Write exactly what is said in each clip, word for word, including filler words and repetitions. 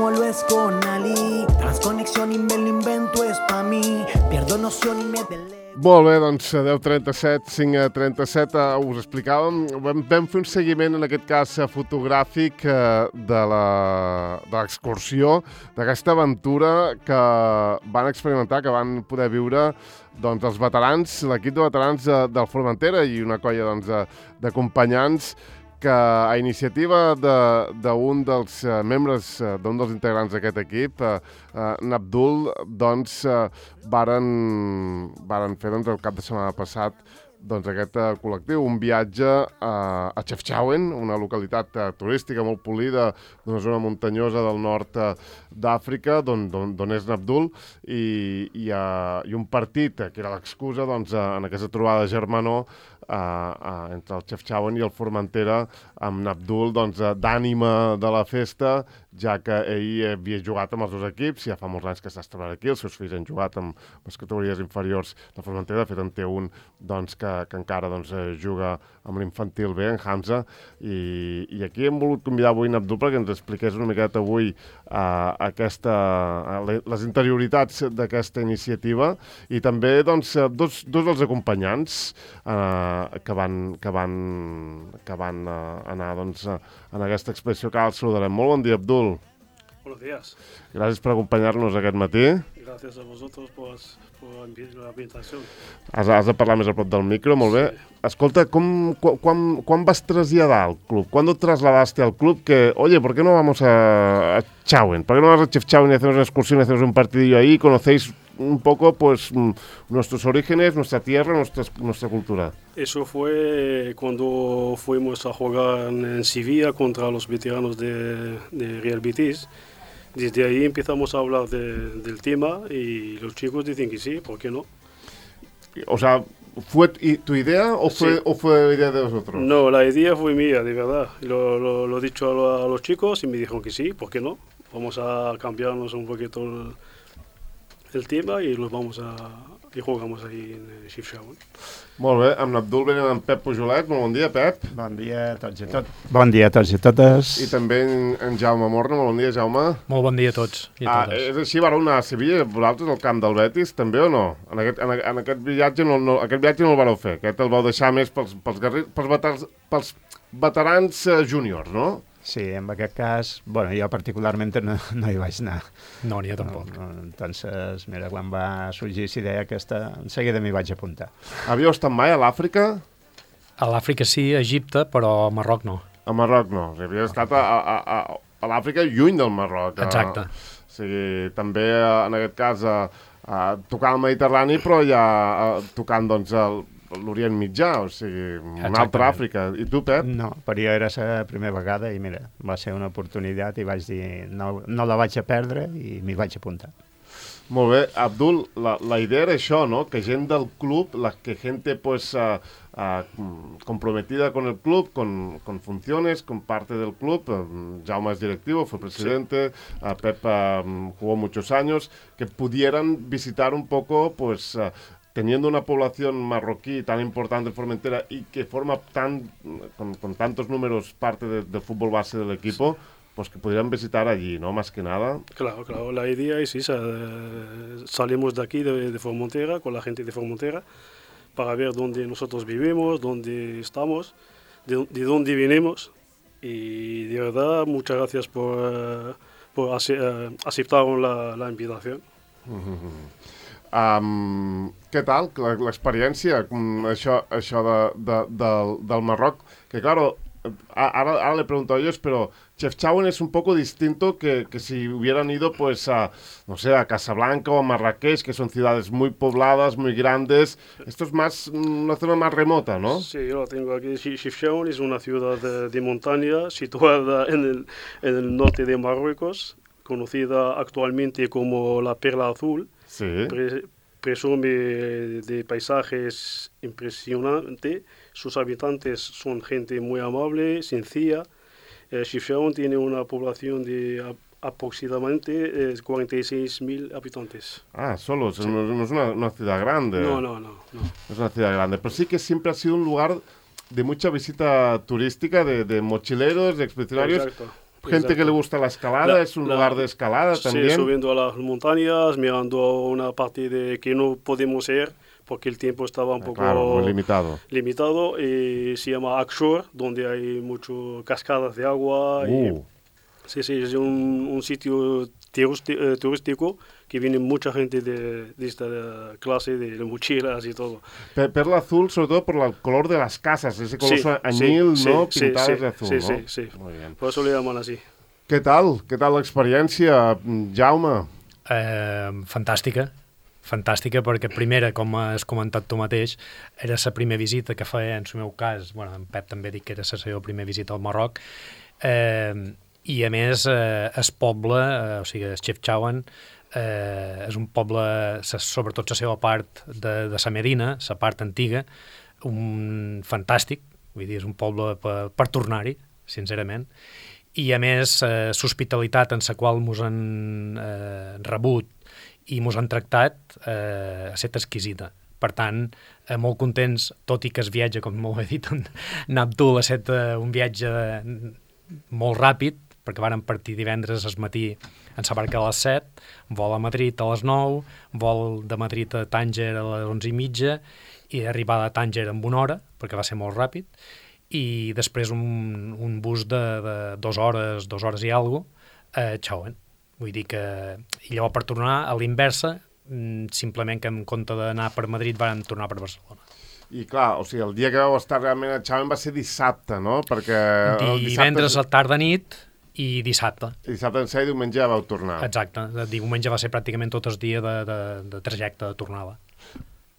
como lo es con Ali. Transconexión y me lo invento es pa' mí. Pierdo noción y me delego. Molt bé, doncs deu trenta-set, cinc trenta-set, uh, us explicàvem, vam, vam fer un seguiment, en aquest cas fotogràfic, uh, de l'excursió, d'aquesta aventura que van experimentar, que van poder viure doncs, els veterans, l'equip de veterans de, del Formentera i una colla doncs, d'acompanyants que a iniciativa d'un de, dels uh, membres, uh, d'un dels integrants d'aquest equip, uh, uh, Nabdul, doncs, uh, varen, varen fer doncs, el cap de setmana passat doncs, aquest uh, col·lectiu, un viatge uh, a Chefchaouen, una localitat uh, turística molt polida d'una zona muntanyosa del nord uh, d'Àfrica, d'on és Nabdul, i, i, uh, i un partit, uh, que era l'excusa doncs, uh, en aquesta trobada germanor, Uh, uh, entre el Chefchaouen i el Formentera, amb Nabdul doncs, uh, d'ànima de la festa, ja que ell havia jugat amb els dos equips, ja fa molts anys que està treballant aquí, els seus fills han jugat amb les categories inferiors del Formentera, de fet en té un doncs, que, que encara doncs, juga amb l'infantil B, en Hamza, i, i aquí hem volgut convidar avui Nabdul perquè ens expliqués una miqueta avui uh, aquesta, uh, les interioritats d'aquesta iniciativa, i també doncs, dos, dos dels acompanyants uh, que van, que van, que van uh, anar doncs, uh, en aquesta expedició, que ara el saludarem. Molt bon dia, Abdul. Buenos días. Gràcies per acompanyar-nos aquest matí. Gràcies a vosaltres per, per la invitació. Has, has de parlar més a prop del micro, molt bé. Sí. Escolta, com, cu, quan, quan vas traslladar al club? ¿Cuándo trasladaste al club que, oye, ¿por qué no vamos a, a Chauen? ¿Por qué no vas a Chefchaouen y hacemos una excursión y hacemos un partidillo ahí y conocéis un poco pues nuestros orígenes, nuestra tierra, nuestra, nuestra cultura? Eso fue cuando fuimos a jugar en Sevilla contra los veteranos de, de Real Betis. Desde ahí empezamos a hablar de, del tema y los chicos dicen que sí, ¿por qué no? O sea, ¿fue tu idea o fue, sí. o fue idea de vosotros? No, la idea fue mía, de verdad. Lo, lo, lo he dicho a, lo, a los chicos y me dijeron que sí, ¿por qué no? Vamos a cambiarnos un poquito el, el tema y los vamos a i jugamos ahí en Chefchaouen. Molt bé, amb l'Abdul venen en Pep Pujolet. Molt bon dia, Pep. Bon dia a tots i tot. Bon dia a tots i totes. I també en, en Jaume Morna. Molt bon dia, Jaume. Molt bon dia a tots i a ah, totes. És així, vareu anar a Sevilla, vosaltres, al camp del Betis, també o no? En aquest, en, en aquest viatge no, no, aquest viatge no el vareu fer, aquest el vau deixar més pels, pels, guerrers, pels, veterans, pels veterans uh, júniors, no? Sí, en aquest cas, bueno, jo particularment no, no hi vaig anar. No, ni jo tampoc. No, no, entonces, mira, quan va sorgir aquesta idea aquesta, en seguida m'hi vaig apuntar. Havíeu estat mai a l'Àfrica? A l'Àfrica sí, a Egipte, però a Marroc no. A Marroc no, havíeu estat a, a, a, a l'Àfrica lluny del Marroc. Exacte. A, o sigui, també en aquest cas a, a tocar el Mediterrani, però ja a, tocant doncs el l'Orient Mitjà, o sigui, una altra Àfrica. I tu, Pep? No, per jo era la primera vegada i mira, va ser una oportunitat i vaig dir, no, no la vaig a perdre i m'hi vaig apuntar. Molt bé, Abdul, la, la idea era això, ¿no? Que gent del club, la que gente pues uh, uh, comprometida con el club, con, con funciones, con parte del club, uh, Jaume es directivo, fue presidente, sí. uh, Pep uh, jugó muchos años, que pudieran visitar un poco, pues... Uh, teniendo una población marroquí tan importante en Formentera y que forma tan con, con tantos números parte de, del fútbol base del equipo, pues que pudieran visitar allí, ¿no? Más que nada. Claro, claro, la idea es esa. Salimos de aquí, de, de Formentera, con la gente de Formentera, para ver dónde nosotros vivimos, dónde estamos, de, de dónde venimos. Y de verdad, muchas gracias por, por aceptar la, la invitación. Mm-hmm. Um, què tal l'experiència, això, això de, de, del, del Marroc? Que claro, ahora, ahora le pregunto a ellos, pero Chefchaouen es un poco distinto que, que si hubieran ido pues a, no sé, a Casablanca o a Marrakech, que son ciudades muy pobladas, muy grandes. Esto es más una zona más remota, ¿no? Sí, yo lo tengo aquí. Chefchaouen es una ciudad de, de montaña situada en el, en el norte de Marruecos, conocida actualmente como la Perla Azul. Sí. Pre, presume de paisajes impresionantes. Sus habitantes son gente muy amable, sencilla. Eh, Chefchaouen tiene una población de a, aproximadamente eh, cuarenta y seis mil habitantes. Ah, solo, sí. no, no es una, una ciudad grande. No, no, no, no. No es una ciudad grande, pero sí que siempre ha sido un lugar de mucha visita turística, de, de mochileros, de expedicionarios. Exacto. gente Exacto. que le gusta la escalada, La- es un la- lugar de escalada Sí, también. subiendo a las montañas, mirando a una parte de que no podemos ir porque el tiempo estaba un Ah, poco claro, muy limitado. limitado y se llama Akshore, donde hay muchas cascadas de agua. Y, Uh, sí, sí, es un, un sitio turisti- eh, turístico que viene mucha gente de, de esta clase de mochilas y todo. pe- perla azul, sobre todo por el color de las casas, ese color Sí, añil, sí, ¿no? sí, Pintadas sí, de azul, sí, ¿no? sí, sí. Muy bien. Por eso le llaman así. Què tal? Què tal l'experiència, Jaume? Eh, fantàstica, fantàstica perquè primera, com has comentat tu mateix, era la primera visita que feia, en el meu cas, bueno, en Pep també dic que era la seva primera visita al Marroc, eh, i a més eh, el poble, eh, o sigui, el Chefchaouen, eh, és un poble, sa, sobretot la seva part de, de la Medina, la part antiga, un fantàstic, vull dir, és un poble per, per tornar-hi, sincerament, i a més eh, l'hospitalitat en la qual ens han eh, rebut i ens han tractat eh, ha estat exquisita. Per tant, eh, molt contents, tot i que es viatge, com molt he dit, en, en Abdul ha estat eh, un viatge molt ràpid, perquè vàrem partir divendres al matí en la barca a les set, vol a Madrid a les nou, vol de Madrid a Tànger a les onze i mitja, i arribada a Tànger en una hora, perquè va ser molt ràpid, i després un, un bus de, de dues hores, dues hores i alguna cosa, a Chauen. Vull dir que... I llavors per tornar a l'inversa, mm, simplement que en compte d'anar per Madrid vam tornar per Barcelona. I clar, o sigui, el dia que vau estar realment a Chauen va ser dissabte, no? Perquè el Divendres dissabte... a tarda nit i dissabte. Dissabte en ser i diumenge ja vau tornar. Exacte. El diumenge va ser pràcticament tot el dia de, de, de trajecte de tornada.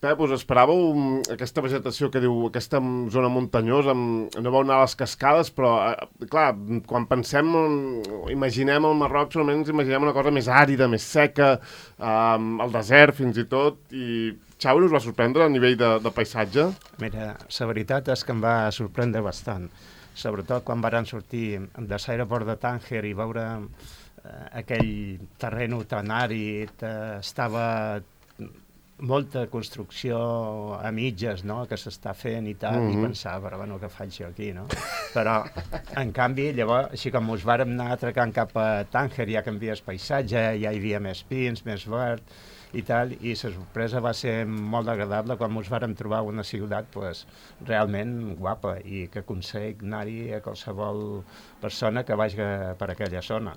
Pep, us esperàveu mm, aquesta vegetació que diu, aquesta mm, zona muntanyosa, mm, no vau anar a les cascades, però, eh, clar, quan pensem, mm, imaginem el Marroc, solament ens imaginem una cosa més àrida, més seca, eh, el desert fins i tot, i Chauen us va sorprendre a nivell de, de paisatge? Mira, la veritat és que em va sorprendre bastant, sobretot quan varen sortir de l'aeroport de Tànger i veure eh, aquell terreny tan àrid, eh, estava molta construcció a mitges, no?, que s'està fent i tal, mm -hmm. i pensava, però bueno, què faig jo aquí, no? Però, en canvi, llavors, així com us vàrem anar atracant cap a Tànger, ja canvies paisatge, ja hi havia més pins, més verd, i tal, i la sorpresa va ser molt agradable quan ens vàrem trobar una ciutat pues, realment guapa i que aconsegueix anar-hi a qualsevol persona que vagi per aquella zona.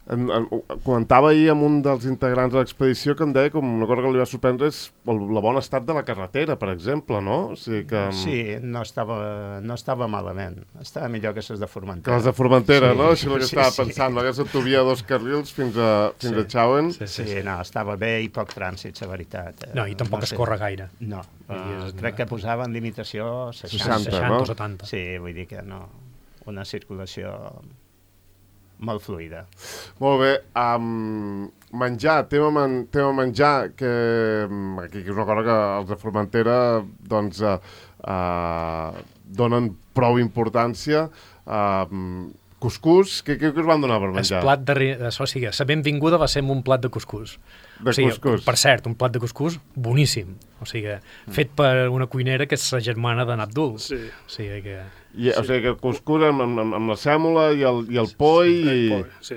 En, en, comentava ahir amb un dels integrants de l'expedició que em deia com una cosa que li va sorprendre és el, el bon estat de la carretera, per exemple, no? O sigui que... Sí, no estava, no estava malament. Estava millor que les de Formentera. Que les de Formentera, sí, no? Això és el que sí, estava sí. pensant, no? Aquesta autovia de dos carrils fins a, fins Sí. a Chauen. Sí, Sí, sí, no, estava bé i poc trànsit, la veritat. Eh, No, i tampoc no es sé. corre gaire. No, Vull dir, uh, és- crec que posaven limitació seixanta. seixanta, seixanta no? o setanta. Sí, vull dir que no, una circulació molt fluida. Molt bé. Um, menjar, tema, man, tema menjar, que um, aquí és una cosa que els de Formentera doncs, uh, uh, donen prou importància. Uh, cuscús, què, què us van donar per El menjar? plat de... ri- O sigui, la benvinguda va ser amb un plat de cuscús. De o sigui, cuscús. Per cert, un plat de cuscús boníssim. O sigui, fet per una cuinera que és la germana d'en Abdul. Sí. O sigui que... I, o sigui que el cuscús amb, amb, amb la sèmola i el, i el poi i, El pollo, sí.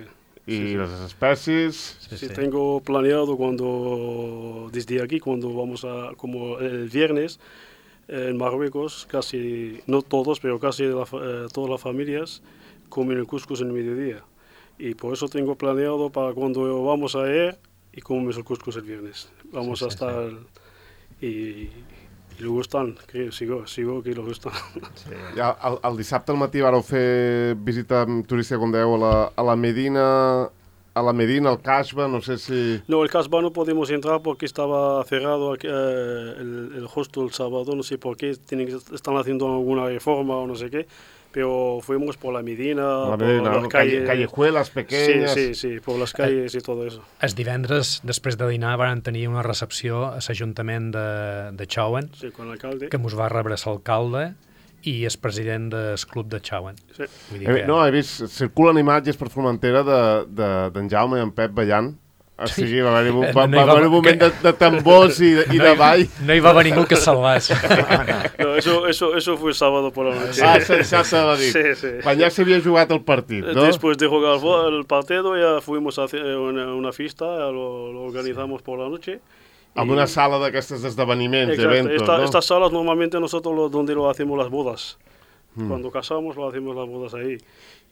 i sí, sí. les espècies. Sí, Sí, sí. tengo planeado cuando, desde aquí, cuando vamos a, como el viernes, eh, en Marruecos, casi, no todos, pero casi la fa- eh, todas las familias comen el cuscús en el mediodía. Y por eso tengo planeado para cuando vamos a ir y comemos el cuscús el viernes. Vamos Sí, a sí, estar y, y le gustan, creo, sigo, sigo que le gustan. Sí. Ja, el, el dissabte al matí vareu fer visita turística, com dèieu, a la, a la Medina, a la Medina, al Casbah, no sé si... No, el Casbah no podemos entrar porque estaba cerrado aquí, eh, el, el hostel el sábado, no sé por qué, tienen que, están haciendo alguna reforma o no sé qué, pero fuimos por la Medina, La por Medina, las calle, calles, callejuelas sí, pequeñas... sí, sí, por las calles y todo eso. El divendres, després de dinar, van tenir una recepció a l'Ajuntament de, de Chauen, Sí, con el alcalde. que ens va rebre l'alcalde i el president del club de Chauen. Sí. Vull dir Eh, que... no, he vist, circulen imatges per Formentera d'en de, de, d'en Jaume i en Pep ballant O sigui, va haver un, No va, hi va va- haver un moment de, de tambors i, i de ball. No hi va haver ningú que es salvés. No, eso, eso, eso fue sábado por la noche. Ah, sensato de dir. Sí, sí. Quan ja s'havia jugat el partit, no? Después de jugar el, vo- el partido ya fuimos a hacer una, una fiesta, ya lo, lo organizamos por la noche. Amb una sala d'aquestes d'esdeveniments, Exacto. eventos, Esta- no? Estas salas normalmente nosotros lo, donde lo hacemos las bodas. Mm. Cuando casamos lo hacemos las bodas ahí.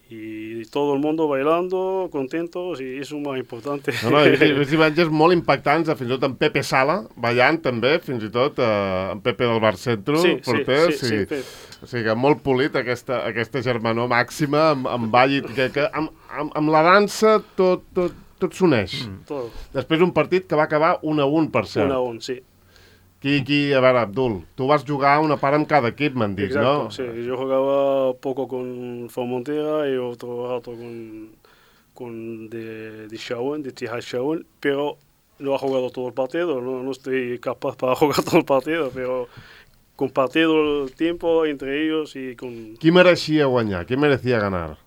Y todo el mundo bailando, contentos, y eso es lo más importante. No, no, he vist imatges molt impactants, fins i tot en Pepe Sala, ballant també, fins i tot eh, en Pepe del Bar Centro, Sí, sí, porter, sí, sí, Pep. o sigui que molt polit aquesta, aquesta germanor màxima, amb, amb ball, i que, que amb, amb, amb la dansa tot, tot, tot s'uneix. Mm. Todo. Després un partit que va acabar un a un, per cert. Una aún, sí. Qui, qui, a veure, Abdul, tu vas jugar una part amb cada equip, m'han dit, Exacto, no? sí. Yo jugaba poco con Formentera y otro rato con, con de, de Shawen, de Tihad Shawen, pero no ha jugado todo el partido, no, no estoy capaz para jugar todo el partido, pero compartido el tiempo entre ellos y con... Qui mereixia guanyar? Qui merecia ganar?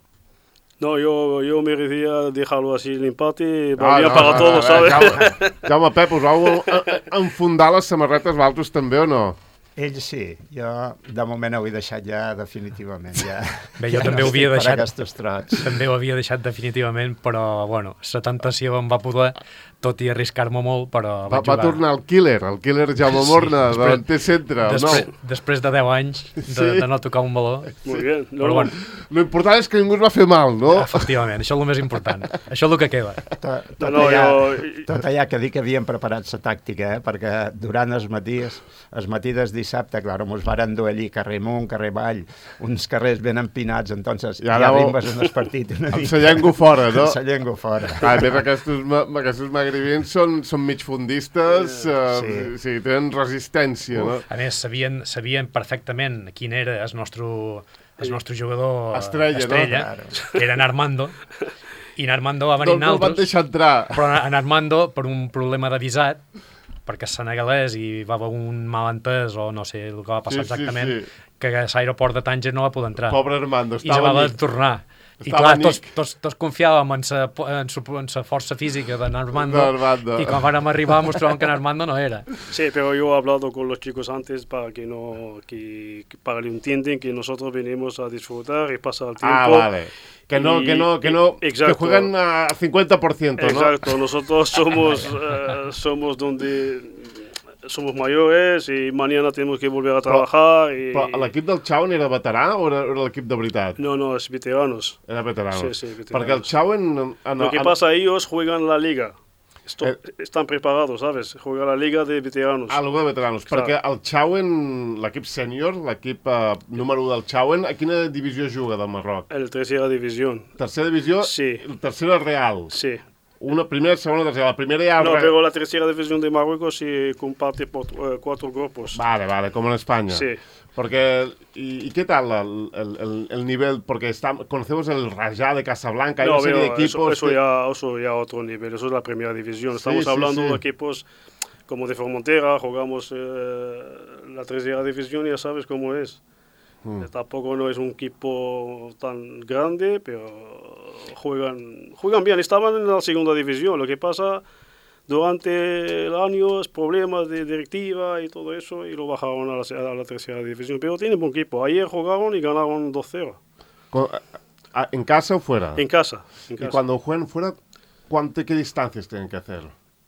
No, yo, yo merecía dejarlo así el empate, Ah, valía no, para no, todos, no, ¿sabes? Jaume, Jaume Pep, us vau eh, eh, enfundar les samarretes valtos també o no? Ell sí, jo de moment ho he deixat ja definitivament. Ja, Bé, jo ja també no ho havia estic per deixat. aquests trots. També ho havia deixat definitivament, però, bueno, la tentació em va poder, tot i arriscar-me molt, però Va, vaig va jugar. tornar el killer, el killer Jaume Sí, Morna, després- davanter centre, el Després, nou. després de deu anys de, Sí. de no tocar un baló. Muy bien. No, Però, no, bueno, Lo important és que ningú es va fer mal, no? efectivament, això és el més important. Això és el que queda. Tot, tot, no, allà, jo- tot allà que dic que havíem preparat la tàctica, eh? Perquè durant els matís, els matí del dissabte, clar, ens varen dur allí carrer amunt, carrer avall, uns carrers ben empinats, entonces I ja ara arribes en el partit una Amb sa llengua fora, no? Amb sa llengua fora. Ah, a més, aquests, ma- aquests magribins són, són migfundistes, eh, Sí. sí. sí, tenen resistència, no? A més, sabien, sabien perfectament quin era el nostre, el nostre jugador Estrella, no? estrella Claro. que era en Armando, i en Armando va venir No, no el van nosaltres, deixar entrar. però en Armando, per un problema de visat, perquè és senegalès i va haver un malentès o no sé el que va passar Sí, sí, exactament, sí. que a l'aeroport de Tànger no va poder entrar. Pobre Armando, I se estava va haver amic. de tornar. I Estava clar, amic. tots, tots, tots confiàvem en sa, en, su, en sa força física d'en Armando, D'Armando. i quan vàrem arribar mostràvem que en Armando no era. Sí, pero yo he hablado con los chicos antes para que no, que, que para que entiendan que nosotros venimos a disfrutar y pasar el tiempo. Ah, vale. Que no, Y- que no, que no, Exacto. que juegan a cincuenta por ciento, ¿no? Exacto, nosotros somos, eh, somos donde somos mayores y mañana tenemos que volver a trabajar. Y... Però l'equip del Chauen era veterà o era, era l'equip de veritat? No, no, es veteranos. Era veterà. Sí, sí, veteranos. Perquè el Chauen... En, en, Lo que en- pasa, ellos juegan la liga. Esto- Eh. Están preparados, ¿sabes? Juegan la liga de veteranos. Ah, l'U de veteranos. Clar. Perquè el Chauen, l'equip sènior, l'equip eh, número u del Chauen, a quina divisió juga del Marroc? En la tercera división. Tercera divisió? Sí. Tercera real. Sí. Una primera, segona, tercera. La primera ja... No, re- pero la tercera división de Marruecos se comparte por eh, cuatro grupos. Vale, vale, com en Espanya. Sí. Porque, ¿y, y qué tal el, el, el, el nivel? Porque está, conocemos el Rajá de Casablanca, hay No, una serie de pero equipos... eso, eso, que- ya, eso ya otro nivel, eso es la primera división. Estamos sí, hablando sí. de equipos como de Formentera, jugamos eh, la tercera división y ya sabes cómo es. Mm. Eh, Tampoco no es un equipo tan grande, pero juegan, juegan bien. Estaban en la segunda división. Lo que pasa durante el año es problemas de directiva y todo eso y lo bajaron a la, a la tercera división. Pero tienen buen equipo. Ayer jugaron y ganaron dos cero. Con- a- ¿En casa o fuera? En casa. En Y casa. cuando juegan fuera, ¿cuánto, ¿qué distancias tienen que hacer?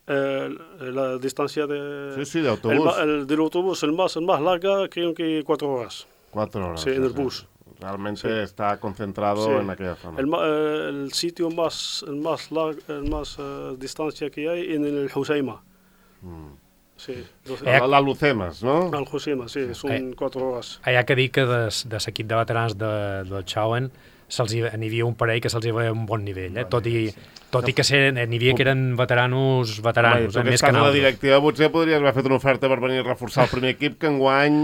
Eh, la distancia de, Sí, sí, de el, autobús. ma- el del autobús, el más, el más larga, creo que cuatro horas. Cuatro horas. Sí, en el o sea, bus. Realmente Sí. está concentrado Sí. en aquella zona. El, ma- eh, el sitio más, el más, lar- el más eh, distancia que hay en el Husaima. Mm. Sí, doce- Eh, La, la Lucemos, no? al Husaima, sí, son Eh. cuatro horas. Hi ha que dir que de, de l'equip de veterans de, del Chauen se'ls hi, n'hi havia un parell que se'ls hi veia un bon nivell, eh? tot, i, tot i que ser, n'hi havia que eren veteranos, Home, veteranos, tu eh? que més estàs que a la nosaltres. directiva potser podries haver fet una oferta per venir a reforçar el primer equip, que enguany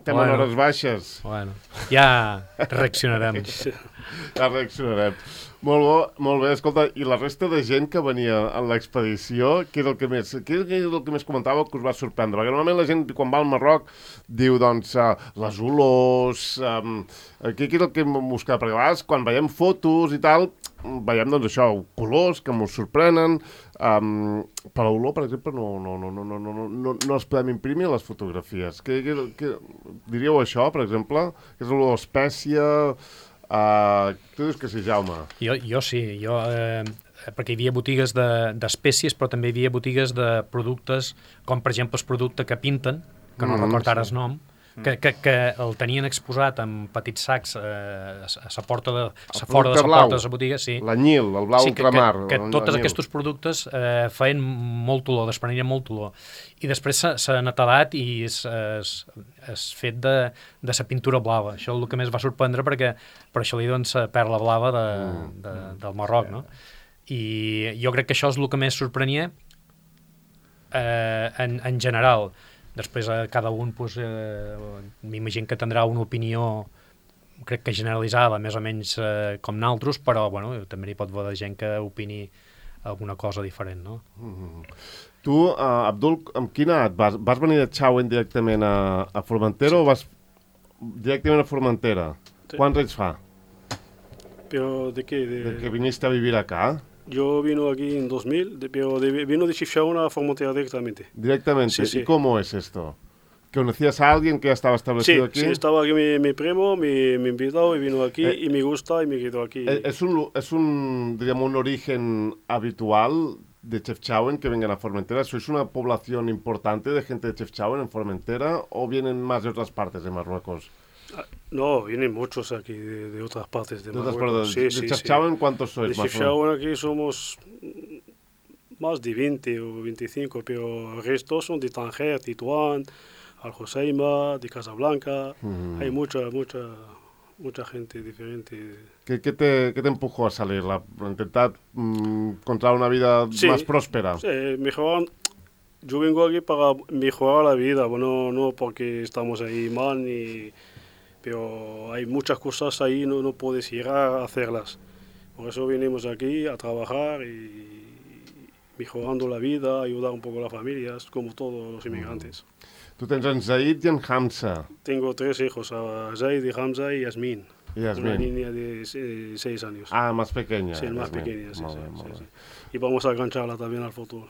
estem Bueno. en hores baixes. Bueno, ja reaccionarem. Ja reaccionarem. Molt bo, molt bé. Escolta, i la resta de gent que venia en l'expedició, què era el que més, què era el que més comentava que us va sorprendre? Perquè normalment la gent, quan va al Marroc, diu, doncs, uh, les olors... Um, què, què és el que hem buscat? Perquè a vegades, quan veiem fotos i tal, veiem, doncs, això, colors que ens sorprenen. Um, per l'olor, per exemple, no, no, no, no, no, no, no, no els podem imprimir a les fotografies. Què, què, què, diríeu això, per exemple? Que és l'olor espècia... Uh, tu dius que sí, Jaume? Jo, jo sí, jo... Eh... perquè hi havia botigues d'espècies, de, però també hi havia botigues de productes, com per exemple el producte que pinten, que no mm, recordo ara sí. el nom, que, que, que el tenien exposat en petits sacs eh, a la porta de a fora de la porta de la botiga, sí. L'anyil, el blau sí, que, ultramar. Que, que tots aquests productes eh, feien molt olor, desprenien molt olor. I després s'ha netedat i és fet de, de sa pintura blava. Això és el que més va sorprendre perquè per això li donen la perla blava de, de, del Marroc, no? I jo crec que això és el que més sorprenia eh, en, en general. Després a cada un pues, eh, m'imagino que tindrà una opinió crec que generalitzada, més o menys eh, com naltros, però bueno, també hi pot haver gent que opini alguna cosa diferent, no? Mm-hmm. Tu, uh, Abdul, amb quina edat vas? Vas venir de Chauen directament a, a Formentera sí. o vas directament a Formentera? Sí. Quants anys fa? Pero ¿de qué? De... ¿De que viniste a vivir acá? Yo vino aquí en dos mil, de, pero de, vino de Chifchaouen a Formentera directamente. ¿Directamente? Sí, ¿Y sí. cómo es esto? ¿Conocías a alguien que ya estaba establecido sí, aquí? Sí, estaba aquí mi, mi primo, me, me invitó y vino aquí eh, y me gusta y me quedó aquí. ¿Es un, es un, digamos, un origen habitual de Chefchaouen que vengan a Formentera? ¿Sois una población importante de gente de Chefchaouen en Formentera o vienen más de otras partes de Marruecos? No, vienen muchos aquí de, de otras partes de, de Marruecos. Sí, ¿De sí, Chefchaouen sí. cuántos sois? De Chefchaouen aquí somos más de veinte o veinticinco, pero el resto son de Tanger, Tituán, Al Joseima, de Casablanca. Mm. Hay mucha, mucha, mucha gente diferente. ¿Qué, qué, te, qué te empujó a salir? ¿La, intentar mm, encontrar una vida sí, más próspera? Sí, mejorar. Yo vengo aquí para mejorar la vida, bueno, no porque estamos ahí mal ni... Pero hay muchas cosas ahí, no, no puedes ir a hacerlas. Por eso venimos aquí a trabajar y mejorando la vida, ayudar un poco a las familias, como todos los inmigrantes. Tú tienes en Zaid y en Hamza. Tengo tres hijos, a Zaid, Hamza y Yasmin. Y Yasmin. Una niña de eh, seis años. Ah, más pequeña. Sí, más Yasmin. pequeña, sí, Molt sí, bé, sí, molt sí. bé. Y vamos a engancharla también al fútbol.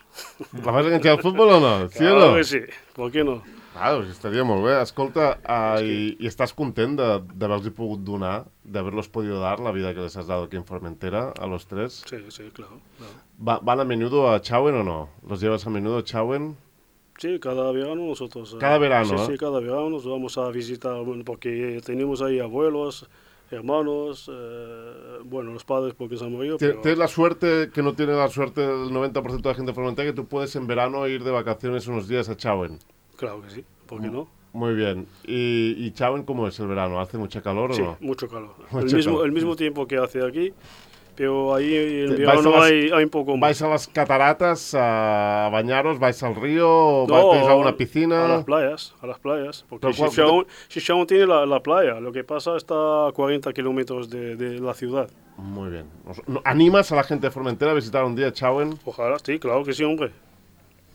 La vas a enganxar al futbol o no? Sí claro o no? que sí, ¿por qué no? Ah, doncs estaria molt bé. Escolta, uh, i, i estàs content d'haver-los pogut donar, d'haver-los podido dar la vida que les has dado aquí en Formentera, a los tres? Sí, sí, claro. claro. ¿Va, ¿Van a menudo a Chauen o no? ¿Los llevas a menudo a Chauen? Sí, cada verano nosotros... Cada verano, Sí, ¿eh? sí, cada verano nos vamos a visitar, porque tenemos ahí abuelos, hermanos, eh, bueno, los padres porque se han morido, pero... Tienes la suerte, que no tiene la suerte el noventa por ciento de la gente de Formentera, que tú puedes en verano ir de vacaciones unos días a Chauen. Claro que sí, ¿por qué no? Muy bien. ¿Y, y Chauen cómo es el verano? ¿Hace mucha calor o sí, no? Sí, mucho calor. Mucho el, mismo, calor. el mismo tiempo que hace aquí, pero ahí en ¿Vais verano las, hay, hay un poco más. ¿Vais a las cataratas a bañaros? ¿Vais al río? No, ¿Vais a una piscina? A las playas, a las playas. Porque Pero, Chefchaouen, Chefchaouen tiene la, la playa, lo que pasa está a cuarenta kilómetros de, de la ciudad. Muy bien. ¿Animas a la gente de Formentera a visitar un día Chauen? Ojalá, sí, claro que sí, hombre.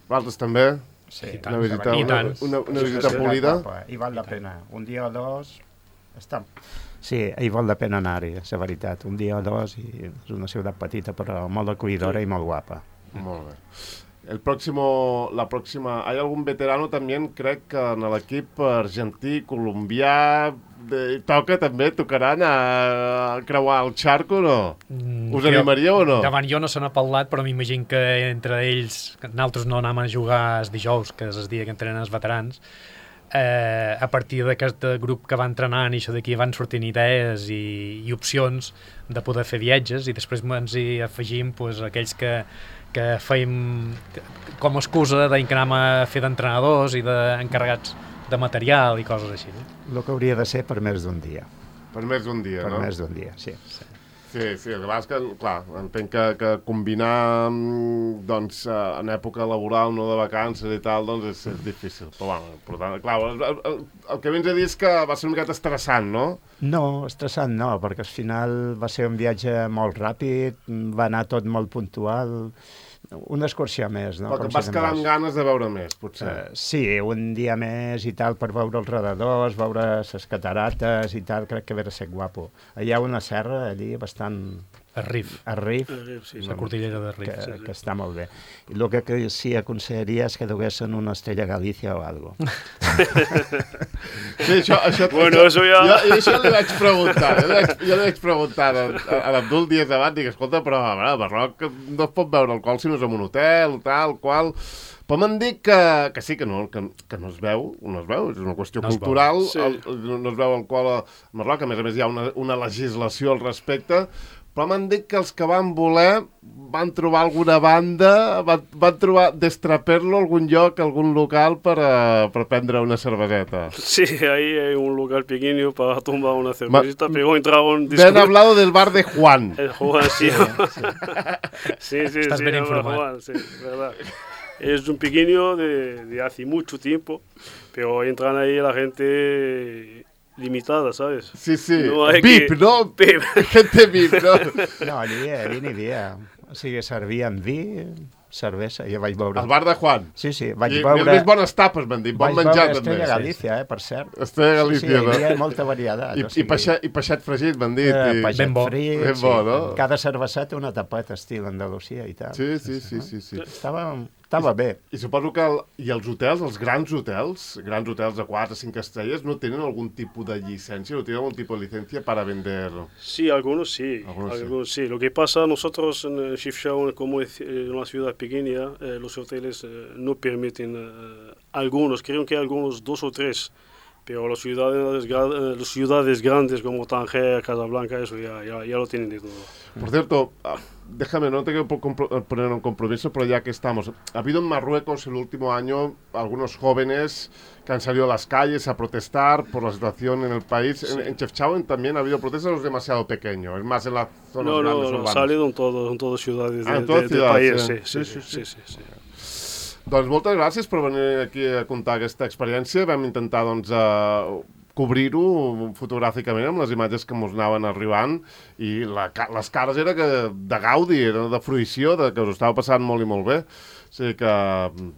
Vosaltres també? Sí, una tant, visita, i una, tant. una, una Sí, visita sí, polida. I val la pena. Un dia o dos... Està... Sí, hi val la pena anar-hi, la veritat. Un dia o dos i és una ciutat petita però molt acollidora sí. I molt guapa. Molt bé. El próximo, la próxima, ¿hay algún veterano también, crec que en l'equip argentí, colombià, de, toca també, tocaran a creuar el xarco o no? Mm, Us animaríeu o no? Davant jo no se n'ha parlat, però m'imagino que entre ells, nosaltres no anàvem a jugar els dijous, que és el dia que entrenen els veterans, eh, a partir d'aquest grup que va entrenant i això d'aquí van sortint idees i, i opcions de poder fer viatges i després ens hi afegim pues, aquells que que fèiem com a excusa d'anar a fer d'entrenadors i d'encarregats de material i coses així. No? El que hauria de ser per més d'un dia. Per més d'un dia, per no? Per més d'un dia, sí. Sí, sí, sí el que passa és que, clar, entenc que, que combinar, doncs, en època laboral, no de vacances i tal, doncs és, és difícil. Però, bueno, per tant, clar, el, el, el que vens a dir és que va ser una miqueta estressant, no? No, estressant no, perquè al final va ser un viatge molt ràpid, va anar tot molt puntual, una excursió més, no? Però que vas quedar amb ganes de veure més, potser. Uh, sí, un dia més i tal per veure els redadors, veure les catarates i tal, crec que va ser guapo. Hi ha una serra allí bastant El Rif. El Rif, El Rif, sí, La cordillera de Rif. que, sí, sí. que està molt bé. I el que, que sí aconsellaria és que duguessin una estrella Galícia o algo. Sí, això, això, Bueno, això, eso ja- Jo, això li vaig preguntar, jo li vaig, jo li vaig preguntar a, a l'Abdul dies abans, dic, escolta, però a veure, a Marroc no es pot veure alcohol si no és en un hotel, tal, qual... Però m'han dit que, que sí, que no, que, que no es veu, no es veu, és una qüestió No es veu. cultural, Sí. el, no es veu alcohol a Marroc, a més a més hi ha una, una legislació al respecte, però m'han dit que els que van voler van trobar alguna banda, van, van trobar d'Estraperlo algun lloc, algun local per, a, per prendre una cerveseta. Sí, ahí hay un lugar pequeño para tomar una cervecita, pero entraron... Me han hablado del bar de Juan. El Juan, sí. Sí, sí, Estás sí, bien el informado. Juan, sí, verdad. Es un pequeño de, de hace mucho tiempo, pero entran ahí la gente limitada, ¿sabes? Sí, sí. No hay V I P, que- no? V I P. Gente V I P, no? No, allí, allí n'hi havia. O sigui, servien vi, cervesa, jo vaig veure... El bar de Juan. Sí, sí, vaig I veure... més bones tapes, m'han dit. Bon Vaig menjar, veure també. Estrella Galícia, eh, per cert. Estrella Galícia, sí, sí, no? hi havia molta varietat. I, o i, sigui, peixet, I peixet fregit, m'han dit. eh, I... peixet Ben bo. frit, Ben sí. bo, no? Cada cerveseta una tapeta estil Andalusia i tal. Sí, sí, sí, sí, sí. Estava, estava bé. I suposo que el, i els hotels, els grans hotels, grans hotels de quatre, cinc estrelles, no tenen algun tipus de llicència, no tienen algun tipus de licencia para vender... Sí, algunos sí, Algunos algunos, sí. sí. Lo que pasa, nosotros en Chefchaouen, como es eh, una ciudad pequeña, eh, los hoteles eh, no permiten, eh, algunos, creo que algunos dos o tres, pero las ciudades, gra- eh, las ciudades grandes como Tánger, Casablanca, eso ya, ya, ya lo tienen de todo. Por cierto, ah, déjame, no te quiero po- compro- poner un compromiso, pero ya que estamos, ha habido en Marruecos el último año algunos jóvenes que han salido a las calles a protestar por la situación en el país. En, en Chefchaouen también ha habido protestas, o es demasiado pequeño, es más en las zonas No, grandes no, no, urbanas. salido en, todo, en todas ciudades, Ah, de- en todas de- del ciudades, país, sí. sí, sí, Sí, sí, sí, sí, sí, sí. Doncs moltes gràcies per venir aquí a contar aquesta experiència. Vam intentar, doncs, uh, cobrir-ho fotogràficament amb les imatges que ens anaven arribant i la, ca- les cares era que de gaudi, era de fruïció, de que us ho estava passant molt i molt bé. O sigui que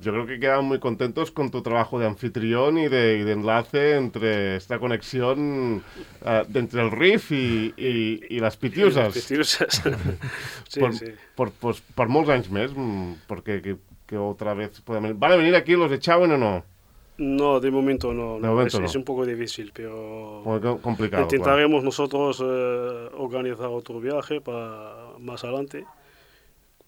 yo creo que quedan muy contentos con tu trabajo de anfitrión y de, y de enlace entre esta conexión uh, de entre el Rif y, y, y las Pitiusas. Pitiusas. Sí, por, sí. por, pues, por molts anys més, mm, porque que, que otra vez puedan venir. ¿Van a venir aquí los de Chauen o no? No, de momento no, De no, momento es, no. es un poco difícil, pero Muy co- complicado. claro. intentaremos nosotros eh, organizar otro viaje para más adelante,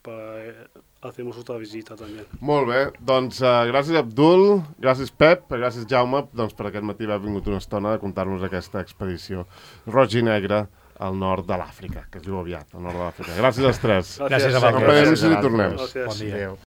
para eh, hacemos otra visita también. Molt bé, doncs uh, gràcies Abdul, gràcies Pep, gràcies Jaume, doncs per aquest matí haver vingut una estona a contar-nos aquesta expedició roig i negre al nord de l'Àfrica, que es diu aviat, al nord de l'Àfrica. Gràcies als tres. Gràcies a Acompanyem-nos vosaltres. i tornem. Gracias. Bon dia. Adéu.